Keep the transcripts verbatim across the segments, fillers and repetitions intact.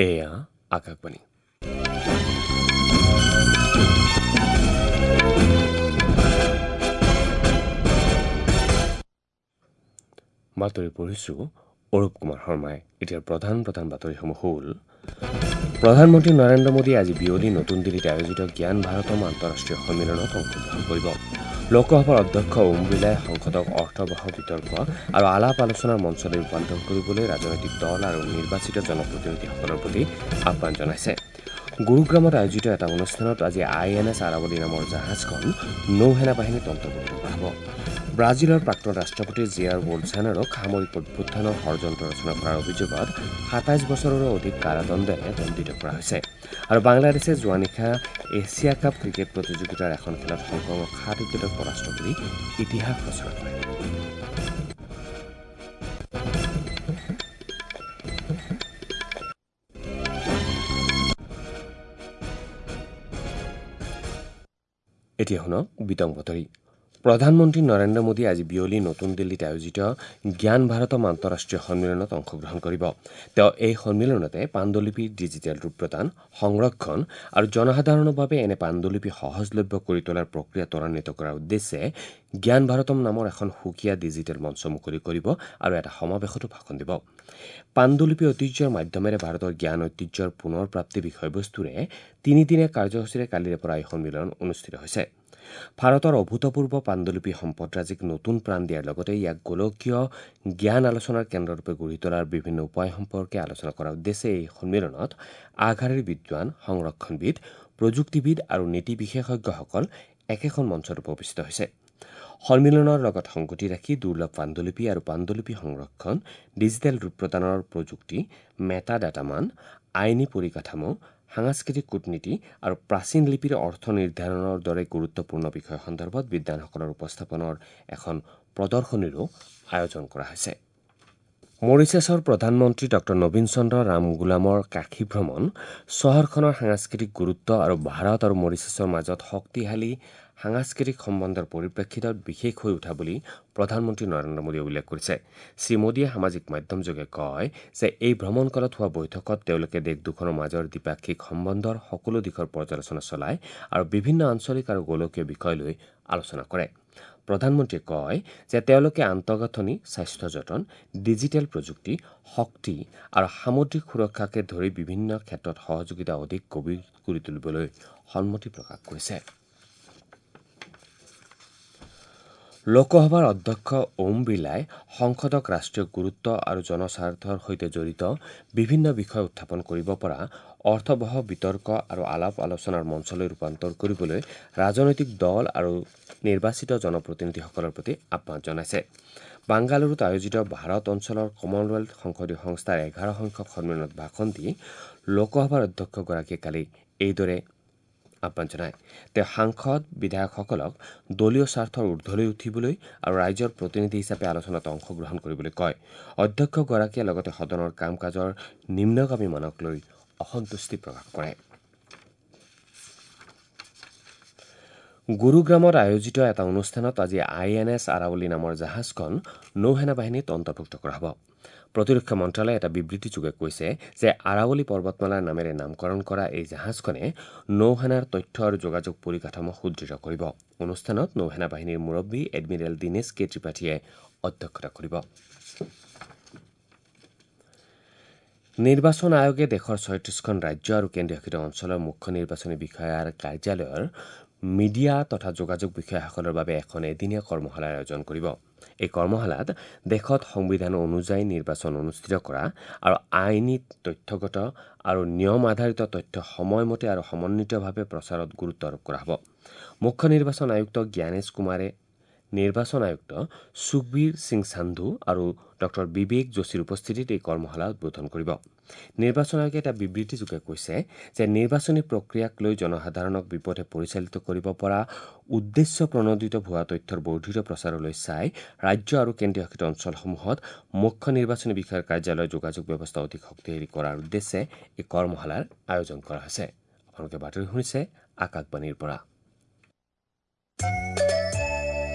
এয়া আকাশবাণী। বাতৰি পঢ়িছো অৰূপ কুমাৰ শৰ্মাই। এতিয়াৰ প্ৰধান প্ৰধান বাতৰিসমূহ হ'ল: প্ৰধানমন্ত্ৰী নৰেন্দ্ৰ মোদীয়ে আজি বিয়লি নতুন দিল্লীত আয়োজিত জ্ঞান ভাৰতম আন্তঃৰাষ্ট্ৰীয় সন্মিলনত অংশগ্ৰহণ কৰিব। লোকসভাৰ অধ্যক্ষ ওম বিৰলাই সংসদক অৰ্থবহ বিতৰ্ক আৰু আলাপ আলোচনাৰ মঞ্চলৈ ৰূপান্তৰ কৰিবলৈ ৰাজনৈতিক দল আৰু নিৰ্বাচিত জনপ্ৰতিনিধিসকলৰ প্ৰতি আহ্বান জনাইছে। গুৰুগ্ৰামত আয়োজিত এটা অনুষ্ঠানত আজি আই এন এছ আৰাৱলী নামৰ জাহাজখন নৌসেনা বাহিনীত অন্তৰ্ভুক্ত কৰা হ'ব। ব্ৰাজিলৰ প্ৰাক্তন ৰাষ্ট্ৰপতি জেয়াৰ বলছানাৰক সামৰিক অভ্যুত্থানৰ ষড়যন্ত্ৰ ৰচনা কৰাৰ অভিযোগত সাতাইছ বছৰৰো অধিক কাৰাদণ্ডেৰে দণ্ডিত কৰা হৈছে। আৰু বাংলাদেশে যোৱা নিশা এছিয়া কাপ ক্ৰিকেট প্ৰতিযোগিতাৰ এখন খেলত হংকঙক সাত উইকেটত পৰাস্ত কৰি ইতিহাস ৰচনা কৰে। এতিয়া শুনক বিতং বাতৰি। প্ৰধানমন্ত্ৰী নৰেন্দ্ৰ মোদীয়ে আজি বিয়লি নতুন দিল্লীত আয়োজিত জ্ঞান ভাৰতম আন্তঃৰাষ্ট্ৰীয় সন্মিলনত অংশগ্ৰহণ কৰিব। তেওঁ এই সন্মিলনতে পাণ্ডুলিপিৰ ডিজিটেল ৰূপ প্ৰদান, সংৰক্ষণ আৰু জনসাধাৰণৰ বাবে এনে পাণ্ডুলিপি সহজলভ্য কৰি তোলাৰ প্ৰক্ৰিয়া ত্বৰান্বিত কৰাৰ উদ্দেশ্যে জ্ঞান ভাৰতম নামৰ এখন সুকীয়া ডিজিটেল মঞ্চ মুকলি কৰিব আৰু এটা সমাৱেশতো ভাষণ দিব। পাণ্ডুলিপি ঐতিহ্যৰ মাধ্যমেৰে ভাৰতৰ জ্ঞান ঐতিহ্যৰ পুনৰ প্ৰাপ্তি বিষয়বস্তুৰে তিনিদিনীয়া কাৰ্যসূচীৰে কালিৰে পৰা এই সন্মিলন অনুষ্ঠিত হৈছে। ভাৰতৰ অভূতপূৰ্ব পাণ্ডুলিপি সম্পদৰাজিক নতুন প্ৰাণ দিয়াৰ লগতে ইয়াক গোলকীয় জ্ঞান আলোচনাৰ কেন্দ্ৰৰূপে গঢ়ি তোলাৰ বিভিন্ন উপায় সম্পৰ্কে আলোচনা কৰাৰ উদ্দেশ্যে এই সন্মিলনত আগশাৰীৰ বিদ্বান, সংৰক্ষণবিদ, প্ৰযুক্তিবিদ আৰু নীতি বিশেষজ্ঞসকল একেখন মঞ্চত উপস্থিত হৈছে। সন্মিলনৰ লগত সংগতি ৰাখি দুৰ্লভ পাণ্ডুলিপি আৰু পাণ্ডুলিপি সংৰক্ষণ, ডিজিটেল ৰূপ প্ৰদানৰ প্ৰযুক্তি, মেটা ডাটা মান, আইনী পৰিকাঠামো, সাংস্কৃতিক কূটনীতি আৰু প্ৰাচীন লিপিৰ অৰ্থ নিৰ্ধাৰণৰ দৰে গুৰুত্বপূৰ্ণ বিষয় সন্দৰ্ভত বিদ্বানসকলৰ উপস্থাপনৰ এখন প্ৰদৰ্শনীৰো আয়োজন কৰা হৈছে। মৰিচাছৰ প্ৰধানমন্ত্ৰী ডক্টৰ নবীন চন্দ্ৰ ৰামগুলামৰ কাশী ভ্ৰমণ চহৰখনৰ সাংস্কৃতিক গুৰুত্ব আৰু ভাৰত আৰু মৰিচাছৰ মাজত শক্তিশালী সাংস্কৃতিক সম্বন্ধৰ পৰিপ্ৰেক্ষিতত বিশেষ হৈ উঠা বুলি প্ৰধানমন্ত্ৰী নৰেন্দ্ৰ মোদীয়ে উল্লেখ কৰিছে। শ্ৰীমোদীয়ে সামাজিক মাধ্যমযোগে কয় যে এই ভ্ৰমণকালত হোৱা বৈঠকত তেওঁলোকে দেশ দুখনৰ মাজৰ দ্বিপাক্ষিক সম্বন্ধৰ সকলো দিশৰ পৰ্যালোচনা চলায় আৰু বিভিন্ন আঞ্চলিক আৰু গোলকীয় বিষয় লৈ আলোচনা কৰে। প্ৰধানমন্ত্ৰীয়ে কয় যে তেওঁলোকে আন্তঃগাঁথনি, স্বাস্থ্য যতন, ডিজিটেল প্ৰযুক্তি, শক্তি আৰু সামুদ্ৰিক সুৰক্ষাকে ধৰি বিভিন্ন ক্ষেত্ৰত সহযোগিতা অধিক গভীৰ কৰি তুলিবলৈ সন্মতি প্ৰকাশ কৰিছে। লোকসভাৰ অধ্যক্ষ ওম বিৰলাই সংসদক ৰাষ্ট্ৰীয় গুৰুত্ব আৰু জনস্বাৰ্থৰ সৈতে জড়িত বিভিন্ন বিষয় উত্থাপন কৰিব পৰা অৰ্থবহ বিতৰ্ক আৰু আলাপ আলোচনাৰ মঞ্চলৈ ৰূপান্তৰ কৰিবলৈ ৰাজনৈতিক দল আৰু নিৰ্বাচিত জনপ্ৰতিনিধিসকলৰ প্ৰতি আহ্বান জনাইছে। বাংগালুৰুত আয়োজিত ভাৰত অঞ্চলৰ কমনৱেলথ সংসদীয় সংস্থাৰ এঘাৰ সংখ্যক সন্মিলনত ভাষণ দি লোকসভাৰ অধ্যক্ষগৰাকীয়ে কালি এইদৰে আহ্বান জনায়। তেওঁ সাংসদ, বিধায়কসকলক দলীয় স্বাৰ্থৰ ঊৰ্ধলৈ উঠিবলৈ আৰু ৰাইজৰ প্ৰতিনিধি হিচাপে আলোচনাত অংশগ্ৰহণ কৰিবলৈ কয়। অধ্যক্ষগৰাকীয়ে লগতে সদনৰ কাম কাজৰ নিম্নগামী মানক লৈ অসন্তুষ্টি প্ৰকাশ কৰে। গুৰুগ্ৰামত আয়োজিত এটা অনুষ্ঠানত আজি আই এন এছ আৰাৱলী নামৰ জাহাজখন নৌসেনা বাহিনীত অন্তৰ্ভুক্ত কৰা হ'ব। প্ৰতিৰক্ষা মন্ত্ৰালয়ে এটা বিবৃতিযোগে কৈছে যে আৰাৱলী পৰ্বতমালাৰ নামেৰে নামকৰণ কৰা এই জাহাজখনে নৌসেনাৰ তথ্য আৰু যোগাযোগ পৰিকাঠামো সুদৃঢ় কৰিব। অনুষ্ঠানত নৌসেনা বাহিনীৰ মুৰব্বী এডমিৰেল দীনেশ কে ত্ৰিপাঠীয়ে অধ্যক্ষতা কৰিব। নিৰ্বাচন আয়োগে দেশৰ ছয়ত্ৰিশখন ৰাজ্য আৰু কেন্দ্ৰীয়শাসিত অঞ্চলৰ মুখ্য নিৰ্বাচনী বিষয়াৰ কাৰ্যালয়ৰ মিডিয়া তথা যোগাযোগ বিষয়াসকলৰ বাবে এখন এদিনীয়া কৰ্মশালাৰ আয়োজন কৰিব। এই কৰ্মশালাত দেশত সংবিধান অনুযায়ী নিৰ্বাচন অনুষ্ঠিত কৰা আৰু আইনী, তথ্যগত আৰু নিয়ম আধাৰিত তথ্য সময়মতে আৰু সমন্বিতভাৱে প্ৰচাৰত গুৰুত্ব আৰোপ কৰা হ'ব। মুখ্য নিৰ্বাচন আয়ুক্ত জ্ঞানেশ কুমাৰে নিৰ্বাচন আয়ুক্ত সুখবীৰ সিং সান্ধু আৰু ডক্টৰ বিবেক যোশীৰ উপস্থিতিত এই কৰ্মশালা উদ্বোধন কৰিব। নিৰ্বাচন আয়োগে এটা বিবৃতিযোগে কৈছে যে নিৰ্বাচনী প্ৰক্ৰিয়াক লৈ জনসাধাৰণক বিপথে পৰিচালিত কৰিব পৰা উদ্দেশ্য প্ৰণোদিত ভুৱা তথ্যৰ বৰ্ধিত প্ৰচাৰলৈ চাই ৰাজ্য আৰু কেন্দ্ৰীয়শাসিত অঞ্চলসমূহত মুখ্য নিৰ্বাচনী বিষয়াৰ কাৰ্যালয়ৰ যোগাযোগ ব্যৱস্থা অধিক শক্তিশালী কৰাৰ উদ্দেশ্যে এই কৰ্মশালাৰ আয়োজন কৰা হৈছে। আপোনালোকে বাতৰি শুনিছে আকাশবাণীৰ পৰা।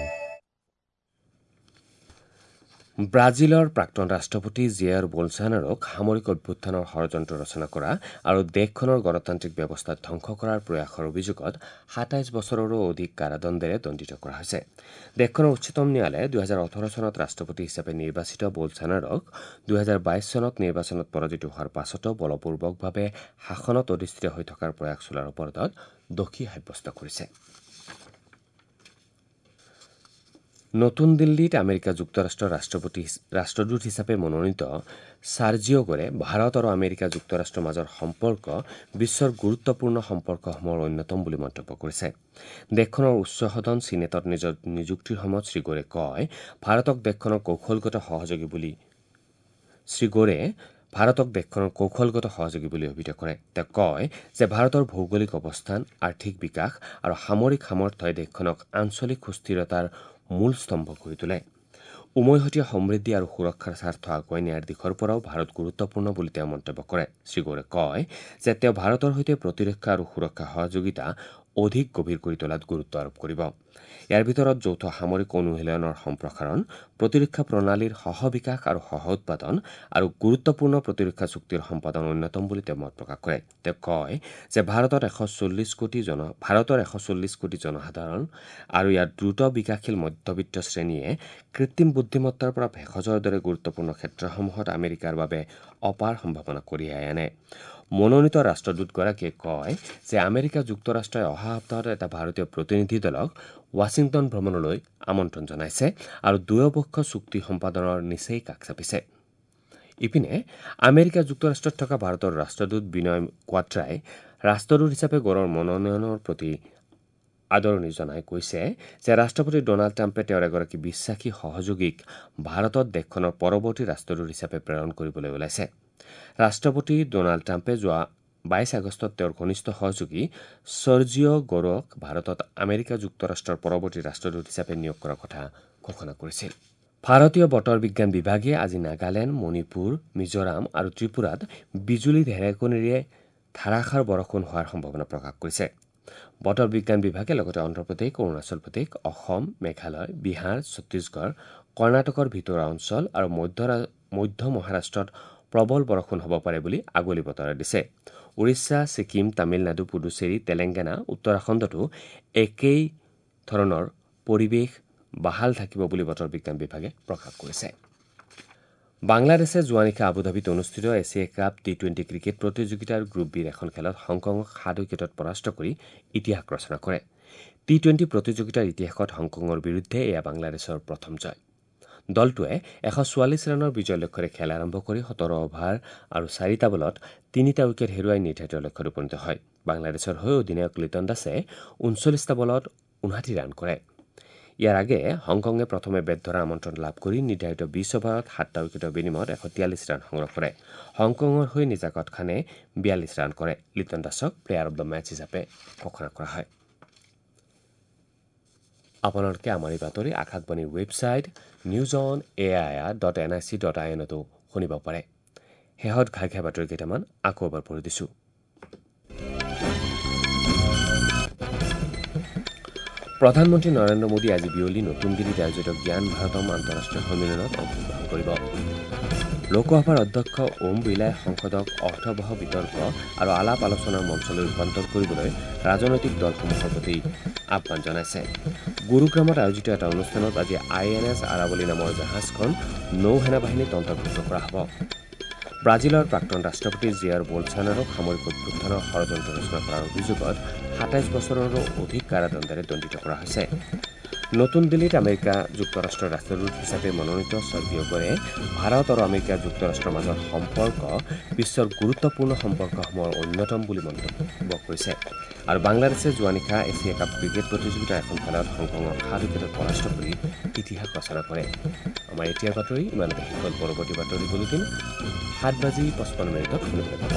ব্ৰাজিলৰ প্ৰাক্তন ৰাষ্ট্ৰপতি জেয়াৰ বলছানাৰোক সামৰিক অভ্যুত্থানৰ ষড়যন্ত্ৰ ৰচনা কৰা আৰু দেশখনৰ গণতান্ত্ৰিক ব্যৱস্থা ধ্বংস কৰাৰ প্ৰয়াসৰ অভিযোগত সাতাইছ বছৰৰো অধিক কাৰাদণ্ডেৰে দণ্ডিত কৰা হৈছে। দেশখনৰ উচ্চতম ন্যায়ালয়ে দুহেজাৰ ওঠৰ চনত ৰাষ্ট্ৰপতি হিচাপে নিৰ্বাচিত বলছানাৰোক দুহেজাৰ বাইছ চনত নিৰ্বাচনত পৰাজিত হোৱাৰ পাছতো বলপূৰ্বকভাৱে শাসনত অধিষ্ঠিত হৈ থকাৰ প্ৰয়াস চলোৱাৰ অপৰাধত দোষী সাব্যস্ত কৰিছে। নতুন দিল্লীত আমেৰিকা যুক্তৰাষ্ট্ৰৰ ৰাষ্ট্ৰপতি ৰাষ্ট্ৰদূত হিচাপে মনোনীত চাৰ্জিঅ' গোৰে ভাৰত আৰু আমেৰিকা যুক্তৰাষ্ট্ৰৰ মাজৰ সম্পৰ্ক বিশ্বৰ গুৰুত্বপূৰ্ণ সম্পৰ্কসমূহৰ অন্যতম বুলি মন্তব্য কৰিছে। দেশখনৰ উচ্চ সদন চিনেটত নিজৰ নিযুক্তিৰ সময়ত শ্ৰীগোৰে কয়, ভাৰতক দেশখনৰ কৌশলগত সহযোগী বুলি শ্ৰীগোৰে ভাৰতক দেশখনৰ কৌশলগত সহযোগী বুলি অভিহিত কৰে। তেওঁ কয় যে ভাৰতৰ ভৌগোলিক অৱস্থান, আৰ্থিক বিকাশ আৰু সামৰিক সামৰ্থ্যই দেশখনক আঞ্চলিক সুস্থিৰতাৰ মূল স্তম্ভ কৰি তোলে। উমৈহতীয়া সমৃদ্ধি আৰু সুৰক্ষাৰ স্বাৰ্থ আগুৱাই নিয়াৰ দিশৰ পৰাও ভাৰত গুৰুত্বপূৰ্ণ বুলি তেওঁ মন্তব্য কৰে। শ্ৰীগোৰে কয় যে তেওঁ ভাৰতৰ সৈতে প্ৰতিৰক্ষা আৰু সুৰক্ষা সহযোগিতা অধিক গভীৰ কৰি তোলাত গুৰুত্ব আৰোপ কৰিব। ইয়াৰ ভিতৰত যৌথ সামৰিক অনুশীলনৰ সম্প্ৰসাৰণ, প্ৰতিৰক্ষা প্ৰণালীৰ সহ বিকাশ আৰু সহ উৎপাদন আৰু গুৰুত্বপূৰ্ণ প্ৰতিৰক্ষা চুক্তিৰ সম্পাদন অন্যতম বুলি তেওঁ মত প্ৰকাশ কৰে। তেওঁ কয় যে ভাৰতত এশ চল্লিছ কোটি জন ভাৰতৰ এশ চল্লিছ কোটি জনসাধাৰণ আৰু ইয়াৰ দ্ৰুত বিকাশশীল মধ্যবিত্ত শ্ৰেণীয়ে কৃত্ৰিম বুদ্ধিমত্তাৰ পৰা ভেষজৰ দৰে গুৰুত্বপূৰ্ণ ক্ষেত্ৰসমূহত আমেৰিকাৰ বাবে অপাৰ সম্ভাৱনা কঢ়িয়াই আনে। মনোনীত ৰাষ্ট্ৰদূতগৰাকীয়ে কয় যে আমেৰিকা যুক্তৰাষ্ট্ৰই অহা সপ্তাহত এটা ভাৰতীয় প্ৰতিনিধি দলক ৱাশ্বিংটন ভ্ৰমণলৈ আমন্ত্ৰণ জনাইছে আৰু দুয়োপক্ষ চুক্তি সম্পাদনৰ নিচেই কাষ চাপিছে। ইপিনে আমেৰিকা যুক্তৰাষ্ট্ৰত থকা ভাৰতৰ ৰাষ্ট্ৰদূত বিনয় কোৱাট্ৰাই ৰাষ্ট্ৰদূত হিচাপে গোৰৰ মনোনয়নৰ প্ৰতি আদৰণি জনাই কৈছে যে ৰাষ্ট্ৰপতি ডনাল্ড ট্ৰাম্পে তেওঁৰ এগৰাকী বিশ্বাসী সহযোগীক ভাৰতত দেশখনৰ পৰৱৰ্তী ৰাষ্ট্ৰদূত হিচাপে প্ৰেৰণ কৰিবলৈ ওলাইছে। ৰাষ্ট্ৰপতি ডনাল্ড ট্ৰাম্পে যোৱা বাইছ আগষ্টত তেওঁৰ ঘনিষ্ঠ সহযোগী চৰ্জিঅ' গোৰক ভাৰতত আমেৰিকা যুক্তৰাষ্ট্ৰৰ পৰৱৰ্তী ৰাষ্ট্ৰদূত হিচাপে নিয়োগ কৰাৰ কথা ঘোষণা কৰিছিল। ভাৰতীয় বতৰ বিজ্ঞান বিভাগে আজি নাগালেণ্ড, মণিপুৰ, মিজোৰাম আৰু ত্ৰিপুৰাত বিজুলী ঢেৰেকনিৰে ধাৰাসাৰ বৰষুণ হোৱাৰ সম্ভাৱনা প্ৰকাশ কৰিছে। বতৰ বিজ্ঞান বিভাগে লগতে অন্ধ্ৰপ্ৰদেশ, অৰুণাচল প্ৰদেশ, অসম, মেঘালয়, বিহাৰ, ছত্তীশগড়, কৰ্ণাটকৰ ভিতৰুৱা অঞ্চল আৰু মধ্য মধ্য মহাৰাষ্ট্ৰত প্ৰবল বৰষুণ হ'ব পাৰে বুলি আগলি বতৰা দিছে। উৰিষ্যা, ছিকিম, তামিলনাডু, পুডুচেৰী, তেলেংগানা, উত্তৰাখণ্ডতো একেই ধৰণৰ পৰিৱেশ বাহাল থাকিব বুলি বতৰ বিজ্ঞান বিভাগে প্ৰকাশ কৰিছে। বাংলাদেশে যোৱা নিশা আবুধাবিত অনুষ্ঠিত Asia cup T twenty cricket প্ৰতিযোগিতাৰ গ্ৰুপ বিৰ এখন খেলত হংকঙক সাত উইকেটত পৰাস্ত কৰি ইতিহাস ৰচনা কৰে। টি টুৱেণ্টি প্ৰতিযোগিতাৰ ইতিহাসত হংকঙৰ বিৰুদ্ধে এয়া বাংলাদেশৰ প্ৰথম জয়। দলটোৱে এশ চৌৱাল্লিছ ৰানৰ বিজয় লক্ষ্যৰে খেল আৰম্ভ কৰি সোতৰ অভাৰ আৰু চাৰিটা বলত তিনিটা উইকেট হেৰুৱাই নিৰ্ধাৰিত লক্ষ্যত উপনীত হয়। বাংলাদেশৰ হৈ অধিনায়ক লিটন দাসে ঊনচল্লিছটা বলত ঊনষাঠি ৰান কৰে। ইয়াৰ আগেয়ে হংকঙে প্ৰথমে বেট ধৰা আমন্ত্ৰণ লাভ কৰি নিৰ্ধাৰিত বিছ অভাৰত সাতটা উইকেটৰ বিনিময়ত এশ তিয়াল্লিছ ৰান সংগ্ৰহ কৰে। হংকঙৰ হৈ নিজাকত খানে বিয়াল্লিছ ৰান কৰে। লিটন দাসক প্লেয়াৰ অব the match হিচাপে ঘোষণা কৰা হয়। আপোনালোকে আমাৰ এই বাতৰি আকাশবাণীৰ website news on A I R dot N I C dot I এনতো শুনিব পাৰে। শেহত ঘাই ঘাই বাতৰি কেইটামান আকৌ এবাৰ পঢ়ি দিছোঁ। প্ৰধানমন্ত্ৰী নৰেন্দ্ৰ মোদী আজি বিয়লি নতুন দিল্লীত আয়োজিত জ্ঞান ভাৰতম আন্তঃৰাষ্ট্ৰীয় সন্মিলনত অংশগ্ৰহণ কৰিব। লোকসভাৰ অধ্যক্ষ ওম বিৰলাই সংসদক অৰ্থবহ বিতৰ্ক আৰু আলাপ আলোচনাৰ মঞ্চলৈ ৰূপান্তৰ কৰিবলৈ ৰাজনৈতিক দলসমূহৰ প্ৰতি আহ্বান জনাইছে। গুৰুগ্ৰামত আয়োজিত এটা অনুষ্ঠানত আজি আই এন এছ আৰাৱলী নামৰ জাহাজখন নৌ সেনাবাহিনীত অন্তৰ্ভুক্ত কৰা হ'ব। ব্ৰাজিলৰ প্ৰাক্তন ৰাষ্ট্ৰপতি জেয়াৰ বলছানাৰোক সামৰিক অভ্যুত্থানৰ ষড়যন্ত্ৰ ৰচনা কৰাৰ অভিযোগত সাতাইছ বছৰৰো অধিক কাৰাদণ্ডেৰে দণ্ডিত কৰা হৈছে। নতুন দিল্লীত আমেৰিকা যুক্তৰাষ্ট্ৰৰ ৰাষ্ট্ৰদূত হিচাপে মনোনীত চৰ্জিঅ' গোৰে ভাৰত আৰু আমেৰিকা যুক্তৰাষ্ট্ৰৰ মাজৰ সম্পৰ্ক বিশ্বৰ গুৰুত্বপূৰ্ণ সম্পৰ্কসমূহৰ অন্যতম বুলি মন্তব্য কৰিছে। আৰু বাংলাদেশে যোৱা নিশা এছিয়া কাপ ক্ৰিকেট প্ৰতিযোগিতাৰ এখন খেলত হংকঙক সাত উইকেটত পৰাস্ত কৰি ইতিহাস ৰচনা কৰে। আমাৰ এতিয়াৰ বাতৰি ইমানতে শেষ হ'ল। পৰৱৰ্তী বাতৰি বুলেটিন সাত বাজি পঁচপন্ন মিনিটত শুনিবলৈ পাব।